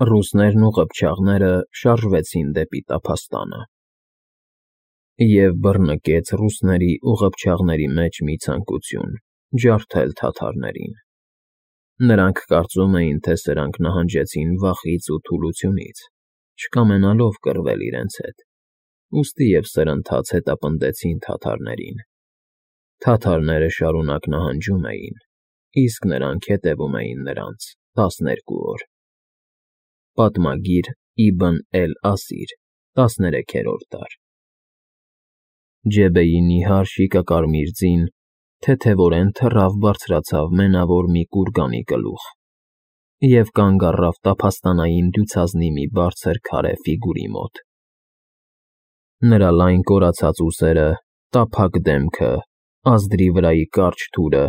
Ռուսներն ու ղփչաղները շարժվեցին դեպի տափաստանը, և բռնկեց ռուսների ու ղփչաղների մեջ մի ցանկություն՝ ջարդել թաթարներին։ Նրանք կարծում էին, թե սրանք նահանջեցին վախից ու թուլությունից, չկամենալով կռվել իրենց հետ, ուստի և սրընթաց հետապնդեցին թաթարներին։ Թաթարները շարունակ նահանջում էին, իսկ նրանք հետևում էին նրանց 12 օր։ Պատմագիր Իբն Էլ-Ասիր, 13-րդ դար։ Ջեբեի նիհար շիկակարմիր ձին թեթևորեն թռավ բարձրացավ մենավոր մի կուրկանի գլուխ և կանգ առավ տափաստանային դյուցազնի մի բարձր քարե ֆիգուրի մոտ։ Նրա լայն կորացած ուսերը, տափակ դեմքը, ազդրի վրայի կարճ թուրը,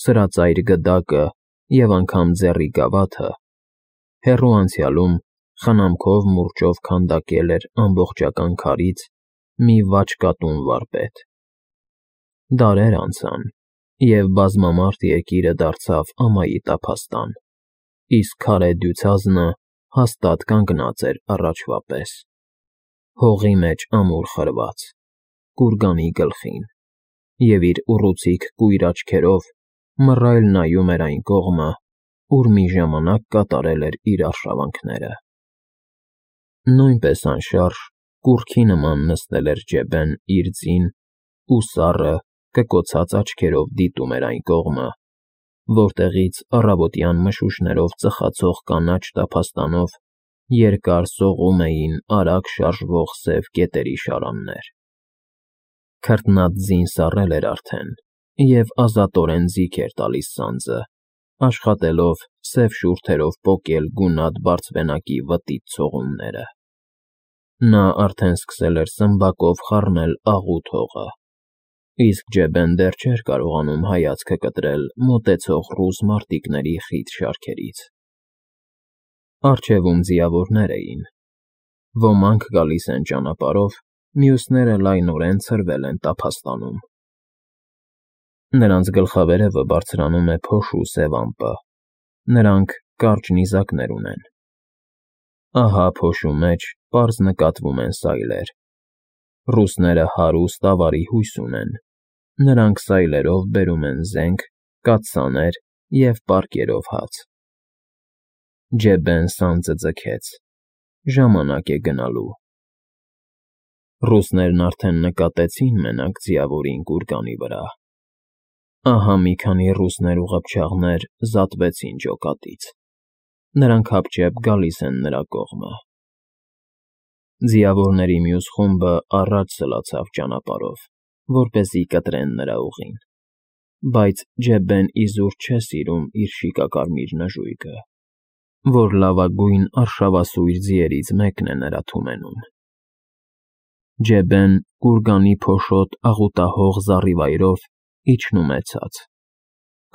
սրածայր գդակը և անգամ ձեռի գավաթը հեռու անցյալում խնամքով մուրճով քանդակել էր ամբողջական քարից մի վաճկատուն վարպետ։ Դարեր անցան, և բազմամարդ երկիրը դարձավ ամայի տափաստան, իսկ քարե դյուցազնը հաստատ կանգնած էր առաջվա պես, հողի մեջ ամուր խրված, կուրկանի գլխին, և իր ուռուցիկ կույր աչքերով մռայլ նայում էր այն կողմը, ուր մի ժամանակ կատարել էր իր արշավանքները։ Նույնպես անշարժ, կուռքի նման նստել էր Ջեբեն իր ձին ու սառը, կկոցած աչքերով դիտում էր այն կողմը, որտեղից առավոտյան մշուշներով ծխացող կանաչ տափաստանով երկար սողում էին արագ շարժվող սև կետերի շարաններ։ Քրտնած ձին սառել էր արդեն և ազատորեն ձիգ էր տալիս սանձը, աշխատելով սև շուրթերով պոկել գունատ բարձվենակի վտիտ ցողունները։ Նա արդեն սկսել էր սմբակով խառնել աղուտ հողը, իսկ Ջեբեն դեռ չէր կարողանում հայացքը կտրել մոտեցող ռուս մարտիկների խիտ շարքերից։ Առջևում ձիավորներ էին։ Ոմանք գալիս են ճանապարհով, մյուսները լայնորեն ցրվել են տափաստանում։ Նրանց գլխավերևը բարձրանում է փոշու սև ամպը, նրանք կարճ նիզակներ ունեն։ Ահա փոշու մեջ պարզ նկատվում են սայլեր։ Ռուսները հարուստ ավարի հույս ունեն, նրանք սայլերով բերում են զենք, կաթսաներ և պարկերով հաց։ Ջեբեն սանձը ձգեց, ժամանակ է գնալու։ Ռուսներն արդեն նկատեցին մենակ ձիավորին կուրկանի վրա։ Ահա մի քանի ռուսներ ու ղփչաղներ զատվեցին ջոկատից, նրանք հապճեպ գալիս են նրա կողմը։ Ձիավորների մյուս խումբը առաջ սլացավ ճանապարհով, որպեսզի կտրեն նրա ուղին, բայց Ջեբեն իզուր չէ սիրում իր շիկակարմիր նժույգը, որ լավագույն արշավասույր ձիերից մեկն է նրա թումենում։ Ջեբեն կուրկանի փոշոտ աղուտահող զառիվայրով իջնում է ցած։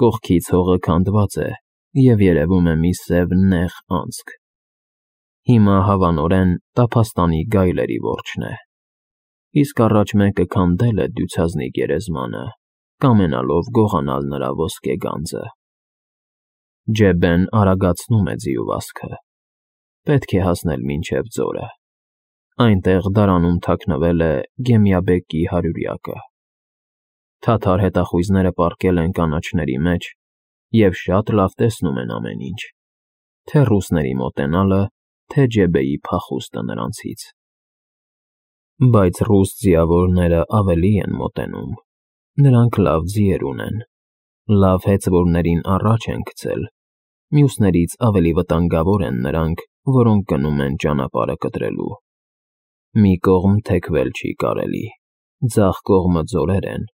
Կողքից հողը քանդված է և երևում է մի սև նեղ անցք։ Հիմա հավանորեն տափաստանի գայլերի որջն է, իսկ առաջ մեկը քանդել է դյուցազնի գերեզմանը, կամենալով գողանալ նրա ոսկե գանձը։ Ջեբեն արագացնում է ձիու վազքը։ Պետք է հասնել մինչև ձորը։ Այնտեղ դարանում թաքնվել է Գեմյաբեկի հարյուրյակը։ Թաթար հետախույզները պառկել են կանաչների մեջ և շատ լավ տեսնում են ամեն ինչ, թե ռուսների մոտենալը, թե Ջեբեի փախուստը նրանցից։ Բայց ռուս ձիավորները ավելի են մոտենում։ Նրանք լավ ձիեր ունեն, լավ հեծվորներին առաջ են գցել, մյուսներից ավելի վտանգավոր են նրանք, որոնք գնում են ճանապարհը կտրելու։ Մի կողմ թեքվել չի կարելի, ձախ կողմը ձորեր են,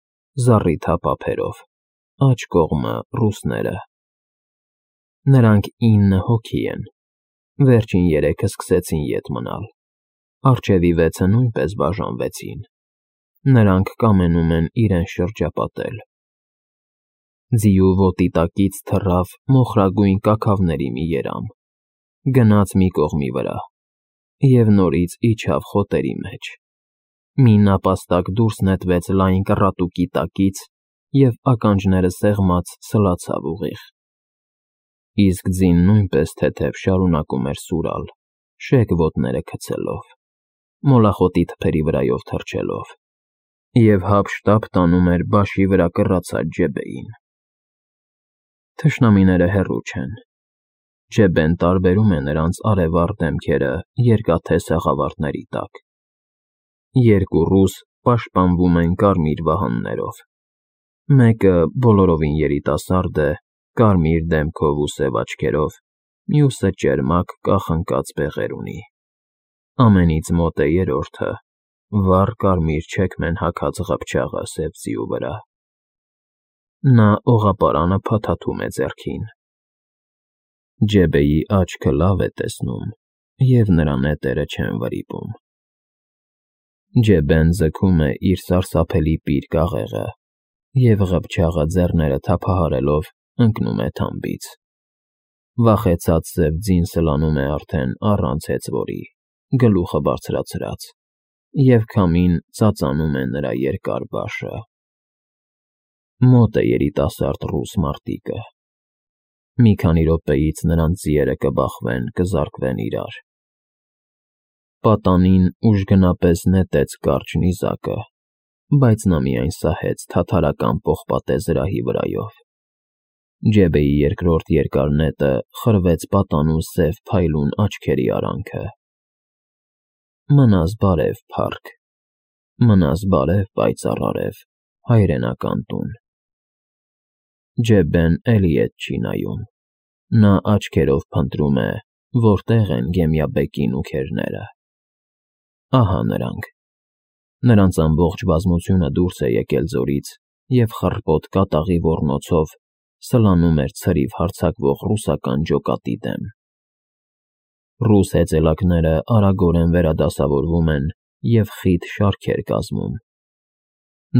զառիթափ ափերով, աջ կողմը ռուսները։ Նրանք 9 հոգի են, վերջին 3-ը սկսեցին ետ մնալ, առջևի 6-ը նույնպես բաժանվեցին։ Նրանք կամենում են իրենց շրջապատել։ Ձիու ոտի տակից թռավ մոխրագույն կաքավների մի երամ, գնաց մի կողմի վրա և նորից իջավ խոտերի մեջ։ Մի նապաստակ դուրս նետվեց լայն կռատուկի տակից և ականջները սեղմած սլացավ ուղիղ։ իսկ ձին նույնպես թեթև շարունակում էր սուրալ, շեկ ոտները գցելով, մոլախոտի թփերի վրայով թռչելով, և հափշտապ տանում էր բաշի վրա կռացած Ջեբեին։ Թշնամիները հեռու չեն։ Ջեբեն տարբերում է նրանց արևառ դեմքերը երկաթե սաղավարտների տակ։ Երկու ռուս պաշտպանվում են կարմիր վահաններով։ Մեկը բոլորովին երիտասարդ է, կարմիր դեմքով ու սև աչքերով, մյուսը ճերմակ, կախնկած բեղեր ունի։ Ամենից մոտ է երրորդը, վառ կարմիր չեքմեն հագած ղփչաղը սև ձիու վրա։ Նա օղապարանը փաթաթում է ձեռքին։ Ջեբեի աչքը լավ է տեսնում, և նրա նետերը չեն վրիպում։ Ջեբեն ձգում է իր սարսափելի պիր կաղեղը, և ղփչաղը ձեռները թափահարելով ընկնում է թամբից։ Վախեցած սև ձին սլանում է արդեն առանց հեծվորի, գլուխը բարձրացրած, և քամին ծածանում է նրա երկար բաշը։ Մոտ է երիտասարդ ռուս մարտիկը։ Մի քանի րոպեից նրանց ձիերը կբախվեն, կզարկվեն իրար։ Պատանին ուժգնապես նետեց կարճ նիզակը, բայց նա միայն սահեց թաթարական պողպատե զրահի վրայով։ Ջեբեի երկրորդ երկար նետը խրվեց պատանու սև փայլուն աչքերի արանքը։ Մնաս բարև, փառք, մնաս բարև, պայծառ արև, հայրենական տուն։ Ջեբեն էլի ետ չի նայում։ Նա աչքերով փնտրում է, որտեղ են Գեմիաբեկին ու քերները։ Ահա նրանք։ Նրանց ամբողջ բազմությունը դուրս է եկել ձորից և խռպոտ կատաղի ոռնոցով սլանում էր ցրիվ հարձակվող ռուսական ջոկատի դեմ։ Ռուս հեծելակները արագորեն վերադասավորվում են և խիտ շարքեր կազմում։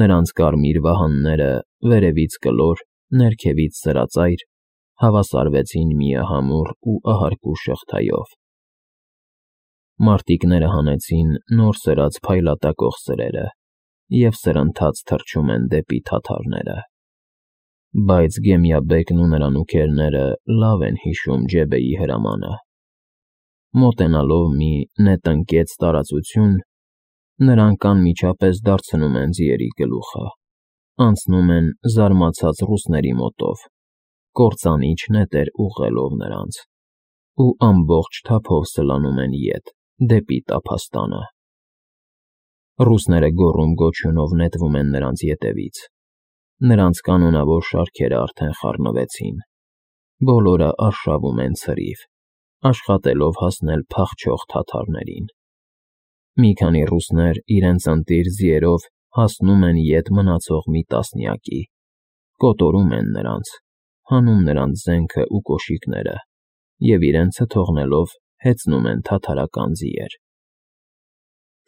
Նրանց կարմիր վահանները վերևից կլոր, ներքևից սրածայր հավասարվեցին միահամուռ ու ահարկու շղթայով։ Մարտիկները հանեցին նոր սրած փայլատակող սրերը և սրընթաց թռչում են դեպի թաթարները։ Բայց Գեմիաբեկն ու նրա նուքերները լավ են հիշում Ջեբեի հրամանը։ Մոտենալով մի նետնկեց տարածություն, նրանք անմիջապես դարձնում են ձիերի գլուխը, անցնում են զարմացած ռուսների մոտով, կործանիչ նետեր ուղղելով նրանց, ու ամբողջ թափով սլանում են ետ, դեպի տափաստանը։ Ռուսները գոռում-գոչյունով նետվում են նրանց ետևից։ Նրանց կանոնավոր շարքերը արդեն խառնվեցին։ Բոլորը արշավում են ցրիվ, աշխատելով հասնել փախչող թաթարներին։ Մի քանի ռուսներ իրենց ընտիր ձիերով հասնում են ետ մնացող մի տասնյակի, կոտորում են նրանց, հանում նրանց զենքն ու կոշիկները և իրենցը թողնելով հեծնում են թաթարական ձիեր։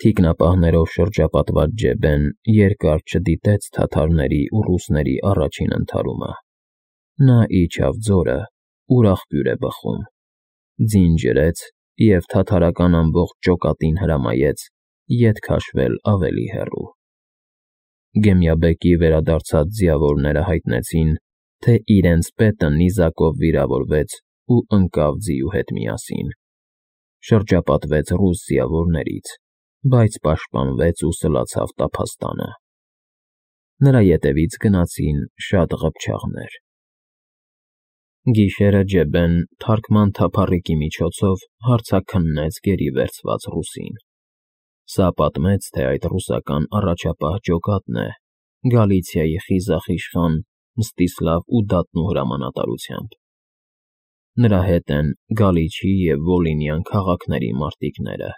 Թիկնապահներով շրջապատված Ջեբեն երկար չդիտեց թաթարների ու ռուսների առաջին ընդհարումը։ Նա իջավ ձորը, ուր աղբյուր է բխում, ձին ջրեց և թաթարական ամբողջ ջոկատին հրամայեց ետ քաշվել ավելի հեռու։ Գեմիաբեկի վերադարձած ձիավորները հայտնեցին, թե իրենց պետը նիզակով վիրավորվեց ու ընկավ ձիու հետ միասին։ Շրջապատվեց ռուս ձիավորներից, բայց պաշտպանվեց ու սլացավ տափաստանը։ Նրա ետևից գնացին շատ ղփչաղներ։ Գիշերը Ջեբեն թարքման թափառիկի միջոցով հարցաքննեց գերի վերցված ռուսին։ Սա պատմեց, թե այդ ռուսական առաջապահ ջոկատն է, Գալիցիայի խիզախ իշխան Մստիսլավ Ուդատնու հրամանատարությամբ։ Նրա հետ են Գալիչի և Վոլինյան քաղաքների մարտիկները։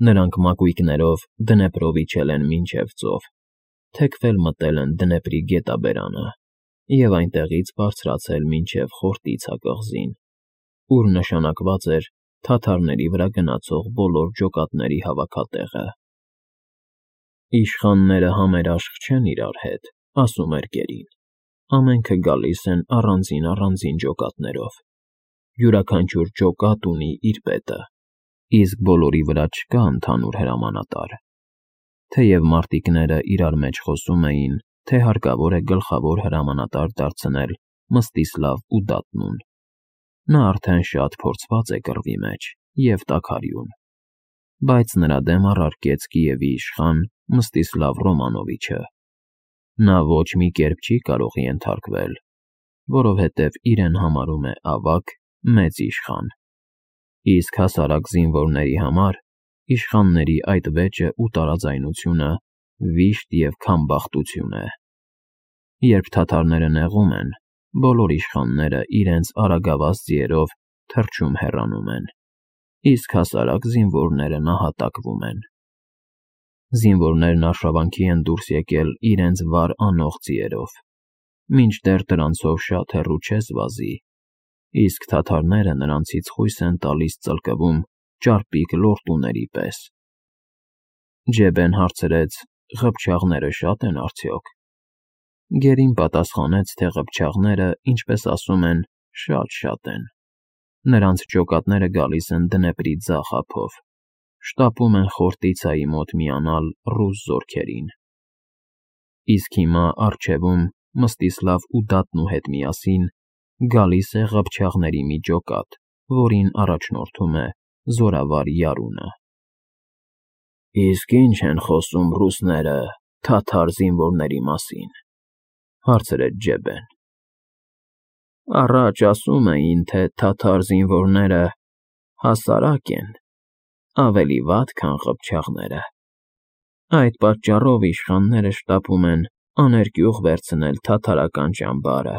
Նրանք մակույկներով Դնեպրով իջել են մինչև ծով, թեքվել մտել են Դնեպրի գետաբերանը և այնտեղից բարձրացել մինչև Խորտիցա կղզին, ուր նշանակված էր թաթարների վրա գնացող բոլոր ջոկատների հավաքատեղը։ Իշխանները համերաշխ չեն իրար հետ, ասում էր գերին։ Ամենքը գալիս են առանձին ջոկատներով։ Յուրաքանչյուր ջոկատ ունի իր պետը, իսկ բոլորի վրա չկա ընդհանուր հրամանատար։ Թեև մարտիկները իրար մեջ խոսում էին, թե հարկավոր է գլխավոր հրամանատար դարձնել Մստիսլավ Ուդատնուն, Նա արդեն շատ փորձված է կռվի մեջ և տաքարյուն, բայց նրա դեմ առարկեց Կիևի իշխան Մստիսլավ Ռոմանովիչը։ Նա ոչ մի կերպ չի կարող ենթարկվել, որովհետև իրեն համարում է ավագ, մեծ իշխան, իսկ հասարակ զինվորների համար իշխանների այդ վեճը ու տարաձայնությունը վիշտ և քամբախտություն է։ Երբ թաթարները նեղում են, բոլոր իշխանները իրենց արագավազ ձիերով թռչում հեռանում են, իսկ հասարակ զինվորները նահատակվում են։ Զինվորներն արշավանքի են դուրս եկել իրենց վար անող ձիերով, մինչդեռ դրանցով շատ հեռու չես վազի, իսկ թաթարները նրանցից խույս են տալիս ծլկվում ճարպիկ լորտուների պես։ Ջեբեն հարցրեց. «Ղփչաղները շա՞տ են արդյոք»։ Գերին պատասխանեց, թե ղփչաղները, ինչպես ասում են, շատ են։ Նրանց ջոկատները գալիս են Դնեպրի ձախ ափով, շտապում են Խորտիցայի մոտ միանալ ռուս զորքերին։ Իսկ հիմա առջևում Մստիսլավ ու Դատնու հետ միասին գալիս է ղփչաղների մի ջոկատ, որին առաջնորդում է զորավար Յարունը։ «Իսկ ի՞նչ են խոսում ռուսները թաթար զինվորների մասին», հարցրեց Ջեբեն։ «Առաջ ասում էին, թե թաթար զինվորները հասարակ են, ավելի վատ, քան ղփչաղները։ Այդ պատճառով իշխանները շտապում են աներկյուղ վերցնել թաթարական ճամբարը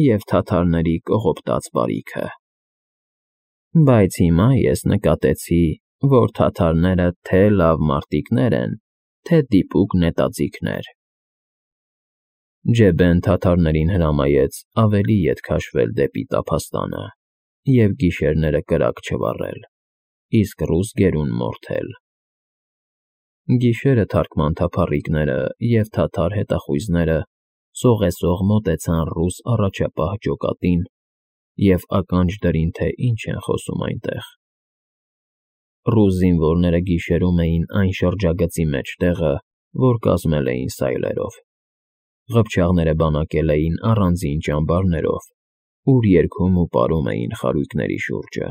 և թաթարների կողոպտած բարիքը։ Բայց հիմա ես նկատեցի, որ թաթարները թե լավ մարտիկներ են, թե դիպուկ նետաձիգներ»։ Ջեբեն թաթարներին հրամայեց ավելի ետ քաշվել դեպի տափաստանը և գիշերները կրակ չվառել, իսկ ռուս գերուն մորթել։ Գիշերը թարքման թափառիկները և թաթար հետախույզները սողեսող մոտեցան ռուս առաջապահ ջոկատին և ականջ դրին, թե ինչ են խոսում այնտեղ։ Ռուս զինվորները գիշերում էին այն շրջագծի մեջտեղը, որ կազմել էին սայլերով։ Ղփչաղները բանակել էին առանձին ճամբարներով, ուր երգում ու պարում էին խարույկների շուրջը։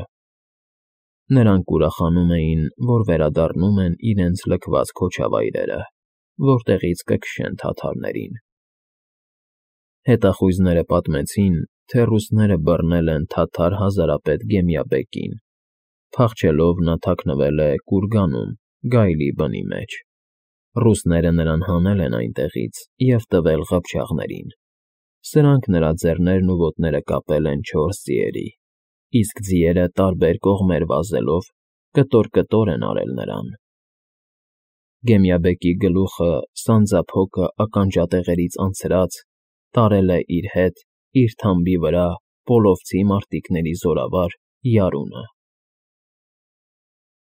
Նրանք ուրախանում էին, որ վերադառնում են իրենց լքված քոչավայրերը, որտեղից կքշեն թաթարներին։ Հետախույզները պատմեցին, թե ռուսները բռնել են թաթար հազարապետ Գեմյաբեկին, փախչելով նա թաքնվել է կուրգանում գայլի բնի մեջ։ Ռուսները նրան հանել են այնտեղից և տվել ղփչաղներին։ Սրանք նրա ձեռներն ու ոտները կապել են 4 ձիերի, իսկ ձիերը տարբեր կողմեր վազելով կտոր են արել նրան։ Գեմյաբեկի գլուխը սանձափոկը ականջատեղերից անցրած տարել է իր հետ իր թամբի վրա պոլովցի մարտիկների զորավար Յարունը։